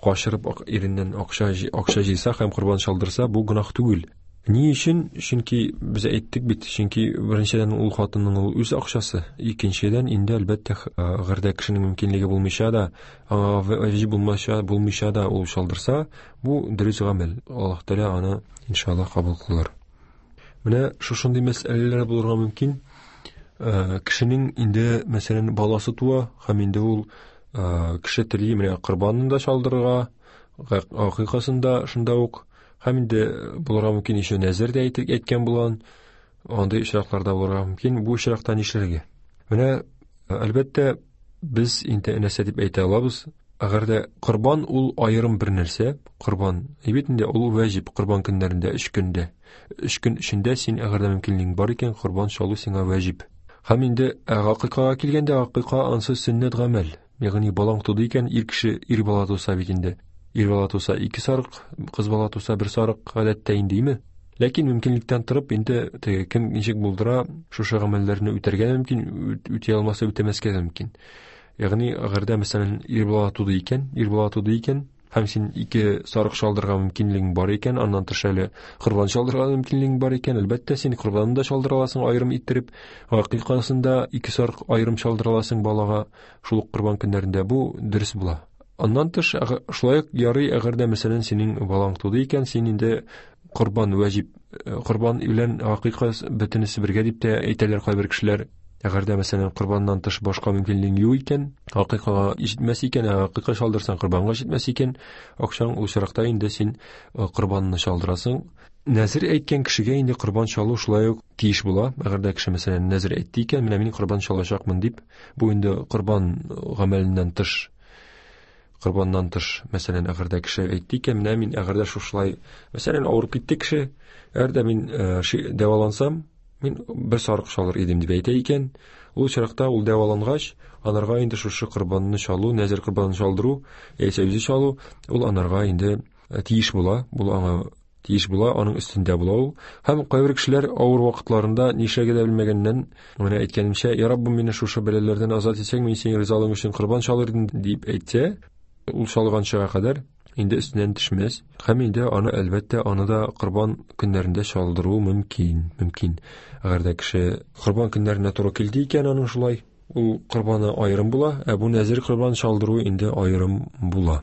качырып ак-, иреннән акча җи-, акча җыйса һәм корбан чалдырса, бу гөнаһ түгел. Ни өчен? Чөнки без әйттек бит, чөнки беренчедән ул хатынның ул үз акчасы, икенчедән инде әлбәттә, әгәр дә кешенең мөмкинлеге булмыйча да, аңа ваҗиб булмаша, булмыйча да ул чалдырса, бу дөрес гамәл. Аллаһ Тәгалә аны иншаллаһ кабул кылыр. Менә шушындый мәсьәләләр булырга мөмкин. Э, кешенең инде, мәсәлән, баласы туа һәм инде ул, э, кеше тели менә корбанын да чалдырырга, акыйкасын да шунда ук, һәм инде булырга мөмкин еще нәзер дә әйтеп, әйткән булган, андый очракларда булырга мөмкин. Бу очракта нишләргә? Менә, әлбәттә, без инде нәрсә дип әйтә алабыз? Әгәр дә корбан ул аерым бер нәрсә, корбан, бит инде ул ваҗиб, корбан көннәрендә өч көндә. Өч көн эчендә син әгәр дә мөмкинлегең бар икән, корбан чалу сиңа ваҗиб. Һәм инде акыйкага килгәндә, акыйка ансыз сөннәт гамәл. Ягъни балаң туды икән, ир кеше, ир бала туса бит инде. Ир бала туса ике сарык, кыз бала туса бер сарык гадәттә инде, име? Ләкин мөмкинлектән торып, инде теге кем ничек булдыра, шушы гамәлләрне үтәргә мөмкин, үт-, үти алмаса үтәмәскә дә мөмкин. Ягъни әгәр дә, мәсәлән, ир бала туды икән, ир бала туды икән, һәм син ике сарык чалдырга мөмкинлегең бар икән, аннан тыш әле корбан чалдырга мөмкинлегең бар икән, әлбәттә, син корбанны да чалдыра аласың аерым иттереп, акыйкасын да ике сарык аерым чалдыра аласың балага шул ук корбан көннәрендә, бу дөрес була. Аннан тыш, әгә-, шулай ук ярый, әгәр дә, мәсәлән, синең балаң туды икән, син инде корбан ваҗиб, э, корбан белән акыйка бөтенесе бергә дип тә әйтәләр кайбер кешеләр. Әгәр дә, мәсәлән, корбаннан тыш башка мөмкинлегең юк икән, акыйкага җитмәс икән, ә акыйка чалдырсаң корбанга җитмәс икән, акчаң ул очракта инде син, э, корбанны чалдырасың. Нәзер әйткән кешегә инде корбан чалу шулай ук тиеш була. Әгәр дә кеше, мәсәлән, нәзер әйтте икән, менә мин корбан чалачакмын дип, бу инде корбан гамәленнән тыш, корбаннан тыш, мәсәлән, әгәр дә кеше әйтте икән, менә мин әгәр дә шушылай, мәсәлән, авырып китте кеше, әгәр дә мин, э, ши-, дәвалансам, мин бер сарык чалыр идем дип әйтә икән, ул очракта ул дәвалангач, анарга инде шушы корбанны чалу, нәзер корбанын чалдыру, яисә үзе чалу, ул анарга инде, э, тиеш була, бу аңа тиеш була, аның өстендә була ул. Һәм кайбер кешеләр авыр вакытларында нишләргә дә белмәгәннән, менә әйткәнемчә, Я Раббым, мине шушы бәлаләрдән азат итсәң, мин синең ризалыгың өчен корбан чалыр идем дип әйтсә, ул чалганчага кадәр инде өстеннән төшмәс. Һәм инде аны, әлбәттә, аны да корбан көннәрендә чалдыру мөмкин, мөмкин. Әгәр дә кеше корбан көннәренә туры килде икән, аның шулай, ул корбаны аерым була, ә бу нәзер корбан чалдыру инде аерым була.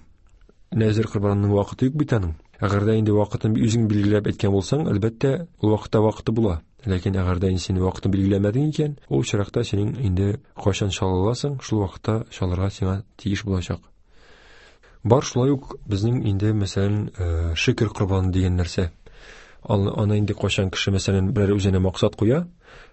Нәзер корбанының вакыты юк бит аның. Әгәр дә инде вакытын үзең билгеләп әйткән булсаң, әлбәттә, ул вакытта вакыты була. Ләкин әгәр дә син вакытын билгеләмәдең икән, ул очракта синең инде кайчан чала аласың, шул вакытта чалырга сиңа тиеш булачак. Бар шулай ук безнең инде, мәсәлән, шөкер корбаны дигән нәрсә. Аны инде кайчан кеше, мәсәлән, берәр үзенә максат куя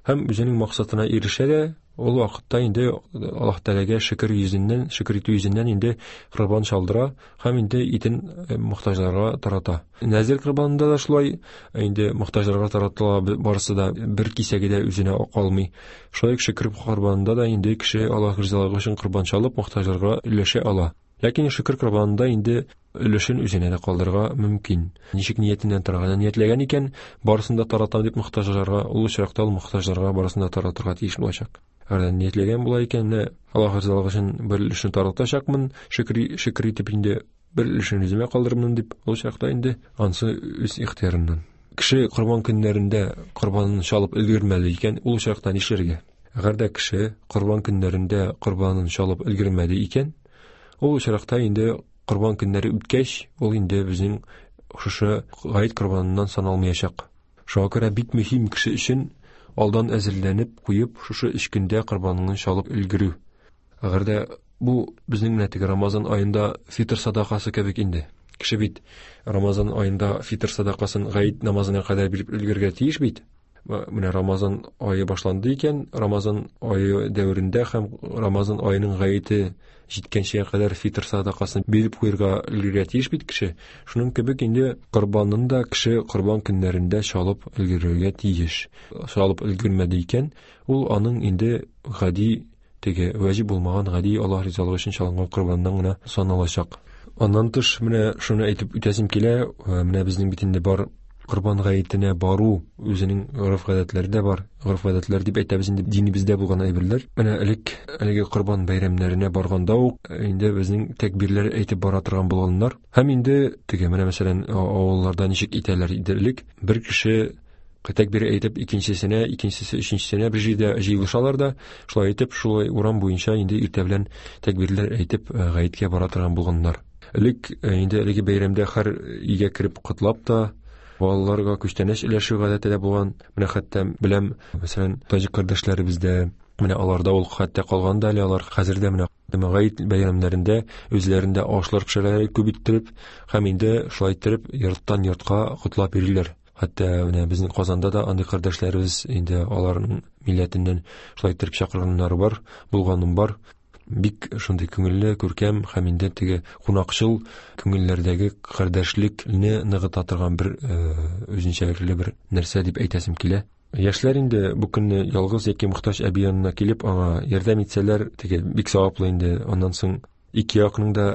һәм үзенең максатына ирешә дә, ул вакытта инде Аллаһ Тәгаләгә шөкер йөзеннән, шөкер итү йөзеннән инде корбан чалдыра һәм инде итен мохтаҗларга тарата. Нәзир корбанында да шулай инде мохтаҗларга таратыла, барысы да бер кисәге дә үзенә калмый. Шулай ук шөкер корбанында да инде кеше Аллаһ ризалыгы өчен корбан чалып мохтаҗларга өләшә ала. Ләкин шөкер корбанында инде өлешен үзенә дә калдырырга мөмкин. Ничек ниятеннән торган, ниятләгән икән, барысын да таратам дип мохтаҗларга, ул очракта ул мохтаҗларга барысын да таратырга тиеш булачак. Әгәр ниятләгән була икән, менә Аллаһ ризалыгы өчен бер өлешен таратачакмын, шөкер шөкер итеп инде бер өлешен үземә калдырырмын дип, ул очракта инде ансы үз ихтыярыннан. Кеше корбан көннәрендә корбанын чалып өлгермәде икән, ул очракта нишләргә? Әгәр дә кеше корбан көннәрендә корбанын чалып өлгермәде икән, ул очракта инде корбан көннәре үткәч, ул инде безнең шушы гает корбаныннан саналмаячак. Шуңа күрә бик мөһим кеше өчен алдан әзерләнеп куеп, шушы өч көндә корбаныңны чалып өлгерү. Әгәр дә бу безнең менә теге Рамазан аенда фитр садакасы кебек инде. Кеше бит Рамазан аенда фитр садакасын гает намазына кадәр биреп өлгерергә тиеш бит. Менә Рамазан ае башланды икән, Рамазан ае дәверендә һәм Рамазан аеның гаете җиткәнчегә кадәр фитр садакасын биреп куярга өлгерергә тиеш бит кеше. Шуның кебек инде корбанын да кеше корбан көннәрендә чалып өлгерергә тиеш. Чалып өлгермәде икән, ул аның инде гади теге ваҗиб булмаган гади Аллаһ ризалыгы өчен чалынган корбаннан гына саналачак. Аннан тыш менә шуны әйтеп үтәсем килә, менә безнең бит инде бар корбан гаетенә бару үзенең гореф-гадәтләре дә бар. Гореф-гадәтләр дип әйтәбез инде динебездә булган әйберләр. Менә элек әлеге корбан бәйрәмнәренә барганда ук инде безнең тәкбирләр әйтеп бара торган булганнар. Һәм инде теге менә мәсәлән авылларда ничек итәләр иде элек, бер кеше тәкбир әйтеп икенчесенә, икенчесе өченчесенә бер җирдә җыелышалар да, шулай итеп шулай урам буенча инде иртә белән тәкбирләр әйтеп гаеткә бара торган булганнар. Элек инде әлеге бәйрәмдә һәр өйгә кереп котлап та балаларга күчтәнәч өләшү гадәте дә булган. Менә хәтта беләм, мәсәлән, таҗик кардәшләребездә, менә аларда ул хәтта калган да әле, алар хәзер дә менә гает бәйрәмнәрендә үзләрендә ашлар пешерәләр күп иттереп һәм инде шулай иттереп йорттан йортка котлап йөриләр. Хәтта менә безнең Казанда да андый кардәшләребез инде аларның милләтеннән шулай иттереп чакырганнары бар, булганым бар. Бик шундый күңелле, күркәм һәм инде теге кунакчыл күңелләрдәге кардәшлекне ныгыта торган бер үзенчәлекле бер нәрсә дип әйтәсем килә. Яшьләр инде бу көнне ялгыз яки мохтаҗ әби янына килеп аңа ярдәм итсәләр, теге бик саваплы инде. Аннан соң ике якның да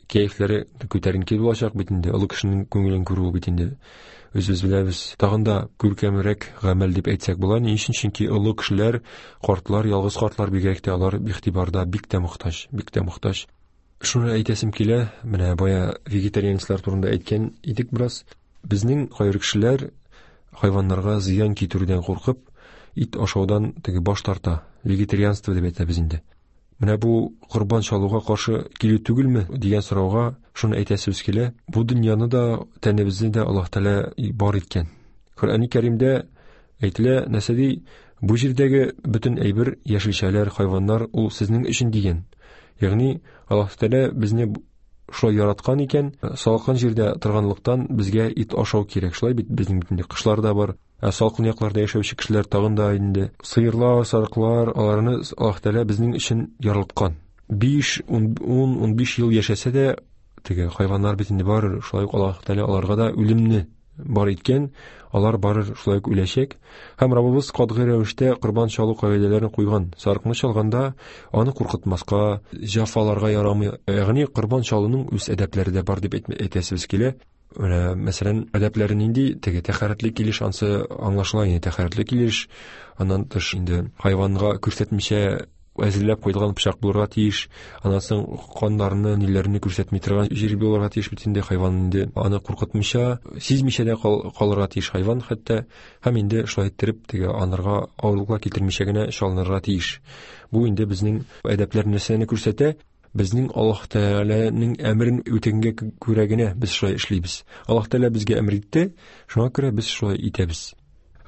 кәефләре күтәренке булачак бит инде. Олы кешенең күңелен күрү бит инде. Үзебез беләбез. Тагын да күркәмрәк гамәл дип әйтсәк була. Ни өчен? Чөнки олы кешеләр, картлар, ялгыз картлар бигрәк тә алар игътибарда бик тә мохтаҗ, бик тә мохтаҗ. Шуны әйтәсем килә, менә бая вегетарианецлар турында әйткән идек бераз. Безнең кайбер кешеләр хайваннарга зыян китерүдән куркып, ит ашаудан теге баш тарта. Вегетарианство дип әйтәбез инде. Менә бу корбан чалуга каршы килү түгелме дигән сорауга шуны әйтәсебез килә. Бу дөньяны да, тәнебезне дә Аллаһ Тәгалә бар иткән. Коръәни Кәримдә әйтелә, нәрсә ди? Бу җирдәге бөтен әйбер, яшелчәләр, хайваннар ул сезнең өчен дигән. Ягъни Аллаһ Тәгалә безне шулай яраткан икән, салкын җирдә торганлыктан безгә ит ашау кирәк. Шулай бит безнең бит инде кышлар да бар. Ә салкын якларда яшәүче кешеләр тагын да инде сыерлар, сарыклар, аларны Аллаһ Тәгалә безнең өчен яралткан. Биш, ун, ун биш ел яшәсә дә, теге хайваннар бит инде бар, шулай ук Аллаһ Тәгалә аларга да үлемне бар иткән, алар бары шулай ук үләчәк. Һәм Раббыбыз катгый рәвештә корбан чалу кагыйдәләрен куйган. Сарыкны чалганда аны куркытмаска, җәфаларга ярамый. Ягъни корбан чалуның үз әдәпләре дә бар дип әйтәсебез килә. Менә, мәсәлән, әдәпләре нинди? Теге тәһарәтле килеш, ансы аңлашыла инде, тәһарәтле килеш. Аннан тыш инде хайванга күрсәтмичә әзерләп куелган пычак булырга тиеш. Аннан соң каннарны, ниләрне күрсәтми торган җир булырга тиеш бит инде хайван инде. Аны куркытмыйча, сизмичә дә калырга тиеш хайван хәтта. Һәм инде шулай иттереп теге анарга авырлыклар китермичә генә чалынырга тиеш. Бу инде безнең әдәпләр нәрсәне күрсәтә? Безнең Аллаһ Тәгаләнең әмерен үтәгәнгә күрә генә без шулай эшлибез. Аллаһ Тәгалә безгә әмер итте, шуңа күрә без шулай итәбез.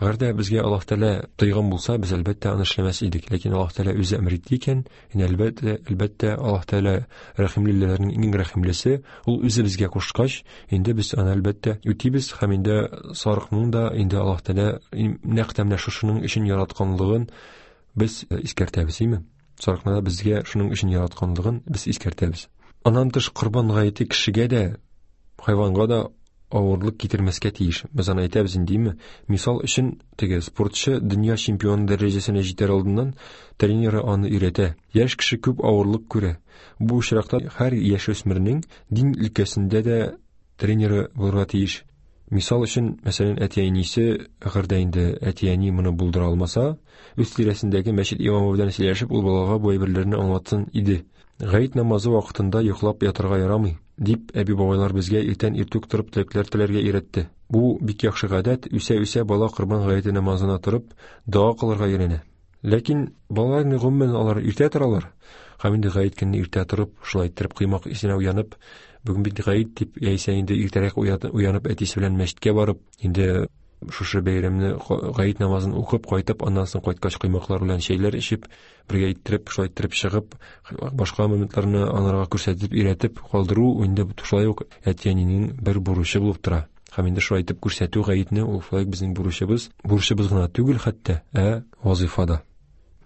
Әгәр дә безгә Аллаһ Тәгалә тыйган булса, без әлбәттә аны эшләмәс идек. Ләкин Аллаһ Тәгалә үзе әмер итте икән, инде әлбәттә, әлбәттә Аллаһ Тәгалә рәхимлеләрнең иң рәхимлесе, ул үзе безгә кушкач, инде без аны әлбәттә үтибез һәм инде сарыкның да инде Аллаһ Тәгалә нәкъ тә менә шушының өчен яратканлыгын без искәртәбез, име? Сарыкны да безгә шуның өчен яратканлыгын без искәртәбез. Аннан тыш Корбан гаете кешегә дә, хайванга да авырлык китермәскә тиеш. Без аны әйтәбез инде, име? Мисал өчен, теге спортчы дөнья чемпионы дәрәҗәсенә җитәр алдыннан тренеры аны өйрәтә. Яшь кеше күп авырлык күрә. Бу очракта һәр яшүсмернең дин өлкәсендә дә тренеры булырга тиеш. Мисал өчен, мәсәлән, әти-әнисе, әгәр дә инде әти-әни моны булдыра алмаса, үз тирәсендәге мәчет имамы белән сөйләшеп, ул балага бу әйберләрне аңлатсын иде. Гает намазы вакытында йоклап ятырга ярамый, дип әби-бабайлар безгә иртән иртүк торып теләкләр теләргә өйрәтте. Бу бик яхшы гадәт, үсә-үсә бала Корбан гаете намазына торып, дога кылырга өйрәнә. Ләкин балалар гомумән алар иртә торалар. Һәм инде гает көнне иртә торып, шулай иттереп коймак исенә уянып, бүген бит гает дип, яисә инде иртәрәк уянып әтисе белән мәчеткә барып, инде шушы бәйрәмне гает намазын укып кайтып, аннан соң кайткач коймаклар белән чәйләр эчеп, бергә иттереп, шулай иттереп чыгып, башка моментларны анарга күрсәтеп, өйрәтеп калдыру инде шулай ук әти-әнинең бер бурычы булып тора. Һәм инде шулай итеп күрсәтү гаетне ул шулай безнең бурычыбыз, бурычыбыз гына түгел хәтта, ә вазифада.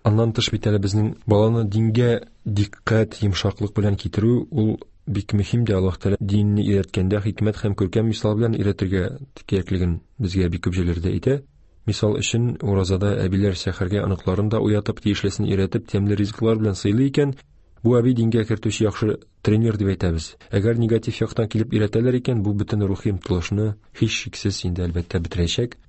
Аннан тыш бит әле безнең баланы дингә диккать, йомшаклык белән китерү ул бик мөһим дә. Аллаһ Тәгалә динне өйрәткәндә хикмәт һәм күркәм мисал белән өйрәтергә кирәклеген безгә бик күп җирләрдә әйтә. Мисал өчен, уразада әбиләр сәхәргә оныкларын да уятып, тиешлесен өйрәтеп, тәмле ризыклар белән сыйлый икән, бу әби дингә кертүче яхшы тренер дип әйтәбез. Әгәр негатив яктан килеп өйрәтәләр икән, бу бөтен рухи омтылышны һичшиксез инде әлбәттә бетерәчәк.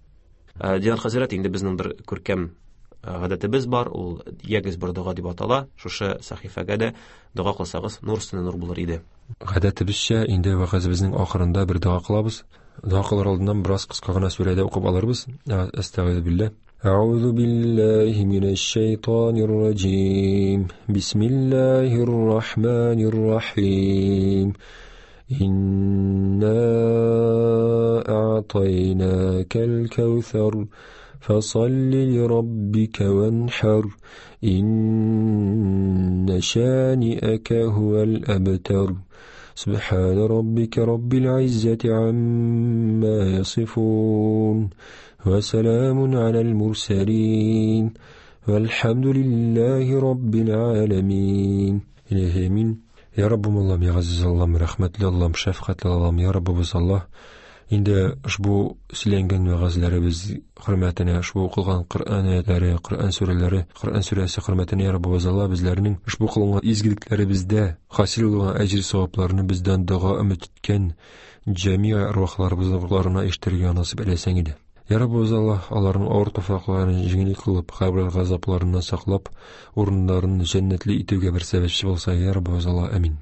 Динар хәзрәт, инде безнең бер күркәм гадәтебез бар, ул ягез бер дога дип атала. Шушы сәхифәгә дә дога кылсагыз, нур өстенә нур булыр иде. Гадәтебезчә, инде вәгазебезнең ахырында бер дога кылабыз. Дога кылыр алдыннан бераз кыска гына сүрәдә укып алырбыз. Әстәгыйзу билләһ. Әгъузу биллаһи минәш шайтанир раҗим. Бисмиллаһир рахманир рахим. Инна а'тайнакал кәүсәр. فصل لربك وانحر إن شانئك هو الأبتر. سبحان ربك رب العزة عما يصفون وسلام على المرسلين والحمد لله رب العالمين. إلهي آمين. يا رب الله، يا عزيز الله، رحمة الله، شفقة الله، يا رب الله. Инде ошбу сөйләнгән вәгазьләребез хөрмәтенә, ошбу укылган Коръән аятлары, Коръән сүрәләре, Коръән сүрәсе хөрмәтенә, я Раббыбыз Аллаһ, безләрнең ошбу кылынган изгелекләребездә хасил булган әҗер савапларны бездән дога өмет иткән җәмиә арвахларыбызның ишетергә насыйп әйләсәң иде. Я Раббыбыз Аллаһ, аларның авыр туфракларын җиңел кылып, кабер газапларыннан саклап, урыннарын җәннәтле итүгә бер сәбәпче булса, я Раббыбыз Аллаһ, амин.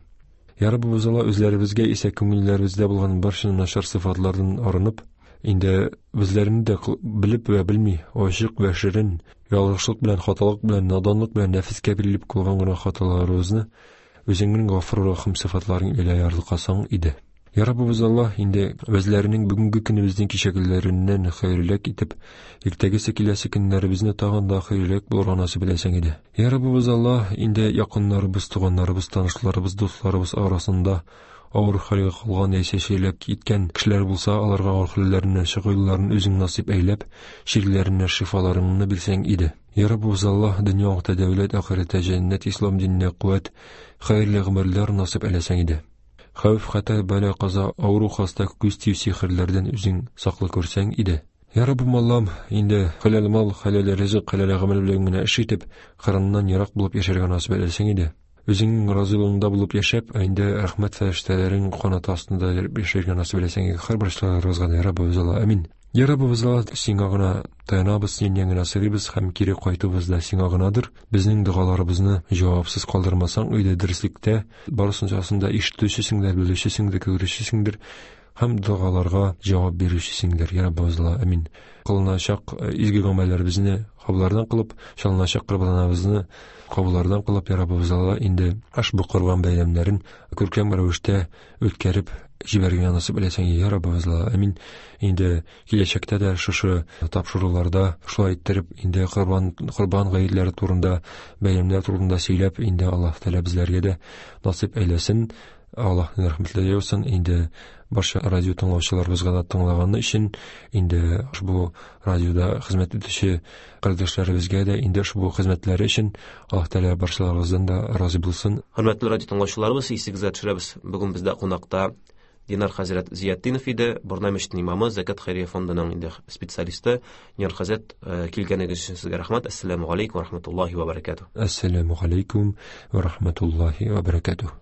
Я Раббыбыз Аллаһ, үзләребезгә исә күңелләребездә булган барча начар сыйфатлардан арынып, инде үзләрен дә белеп вә белми, ачык вә ширин, ялгышлык белән, хаталык белән, наданлык белән нәфескә бирелеп кылган гына хаталарыбызны үзеңнең Гафур Рахим сыйфатларың илә ярлыкасаң иде. Я Раббыбыз Аллаһ, инде үзләренең бүгенге көнебезнең кичәгеләреннән хәерлерәк итеп, иртәгесе киләсе көннәребезне тагын да хәерлерәк булырга насыйп әйләсәң иде. Я Раббыбыз Аллаһ, инде якыннарыбыз, туганнарыбыз, танышларыбыз, дусларыбыз арасында авыр хәлгә калган яисә чирләп киткән кешеләр булса, аларга авыр хәлләреннән чыгу юлларын үзең насыйп әйләп, чирләренә шифаларыңны бирсәң иде. Я Раббыбыз Аллаһ, дөньяда дәүләт, ахирәттә җәннәт, ислам диненә куәт, хәерле гомерләр насыйп әйләсәң иде. Хәвеф, хәтәр, бәла, каза, авыру, хаста, күз тию сихерләрдән үзең саклы күрсәң иде. Я Раббым Аллам, инде хәләл мал, хәләл ризык, хәләл гамәл белән генә эш итеп, хәрамнан ерак булып яшәргә насыйп әйләсәң иде. Үзеңнең разыйлыгыңда булып яшәп, инде рәхмәт фәрештәләрең канаты астында яшәргә насыйп әйләсәң иде. Һәрбер эшләребезгә, я Раббыбыз Аллаһ, амин. Я Раббыбыз Аллаһ, сиңа гына таянабыз, синнән генә сорыйбыз һәм кире кайтуыбыз да сиңа гынадыр. Безнең догаларыбызны җавапсыз калдырмасаң, өйдә дөреслектә барысын да ишетүчесеңдер, белүчесеңдер, күрүчесеңдер һәм догаларга җавап бирүчесеңдер. Я Раббыбыз Аллаһ, амин. Кылыначак изге гамәлләребезне кабуллардан кылып, чалыначак корбаныбызны кабуллардан кылып, я Раббыбыз Алла, инде ошбу корбан бәйрәмнәрен күркәм рәвештә үткәреп җибәргән насыйп әйләсәң, я Раббыбыз Алла. Амин. Инде киләчәктә дә шушы тапшыруларда шулай иттереп инде корбан корбан гаетләре турында, бәйрәмнәр турында сөйләп, инде Аллаһ Тәгалә безләргә дә насыйп әйләсен. Аллаһның рәхмәтләре яусын. Инде барча радио тыңлаучыларыбызга да тыңлаганы өчен, инде ошбу радиода хезмәт итүче кардәшләребезгә дә инде ошбу хезмәтләре өчен Аллаһ Тәгалә барчаларыбыздан да разый булсын. Хөрмәтле радио тыңлаучыларыбыз, исегезгә төшерәбез, бүген бездә кунакта Динар хәзрәт Зиятдинов иде, Борнай мәчетенең имамы, Зәкят хәйрия фондының инде специалисты. Динар хәзрәт, килгәнегез өчен сезгә рәхмәт. Әссәламү галәйкүм ва рахматуллаһи ва баракатуһ. Әссәламү галәйкүм ва рахматуллаһи ва баракатуһ.